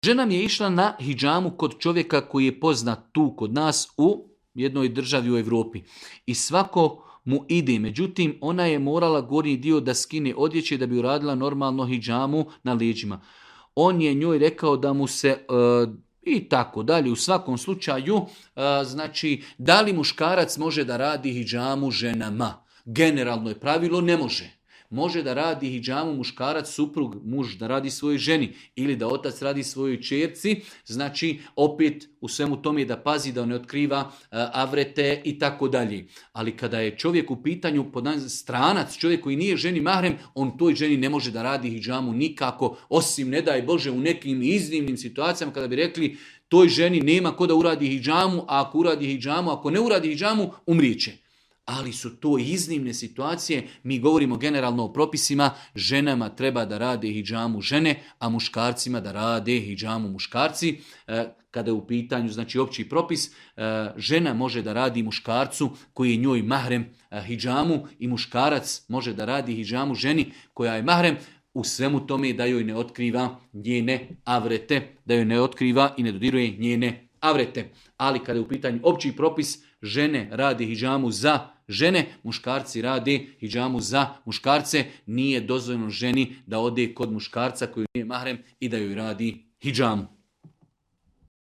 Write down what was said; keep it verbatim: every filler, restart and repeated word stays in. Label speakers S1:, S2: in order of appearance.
S1: Žena mi je išla na hidžamu kod čovjeka koji je poznat tu kod nas u jednoj državi u Europi. I svako mu ide, međutim ona je morala gornji dio da skine odjeće da bi uradila normalno hidžamu na leđima. On je njoj rekao da mu se... Uh, i tako dalje. U svakom slučaju, a, znači, da li muškarac može da radi hidžamu ženama? Generalno je pravilo, ne može. Može da radi hidžamu muškarac, suprug, muž da radi svojoj ženi ili da otac radi svojoj čerci, znači opet u svemu tome da pazi da ne otkriva uh, avrete i tako dalje. Ali kada je čovjek u pitanju stranac, čovjek koji nije ženi mahrem, on toj ženi ne može da radi hidžamu nikako, osim ne daj Bože u nekim iznimnim situacijama kada bi rekli toj ženi nema ko da uradi hidžamu, a ako uradi hidžamu, ako ne uradi hidžamu, umrijeće. Ali su to iznimne situacije, mi govorimo generalno o propisima, ženama treba da rade hidžamu žene, a muškarcima da rade hidžamu muškarci. Kada je u pitanju, znači opći propis, žena može da radi muškarcu koji je njoj mahrem hidžamu i muškarac može da radi hidžamu ženi koja je mahrem, u svemu tome da joj ne otkriva njene avrete, da joj ne otkriva i ne dodiruje njene avrete. Ali kada je u pitanju opći propis, žene radi hidžamu za žene, muškarci rade hidžamu za muškarce, nije dozvoljeno ženi da ode kod muškarca koji nije mahrem i da joj radi hidžamu.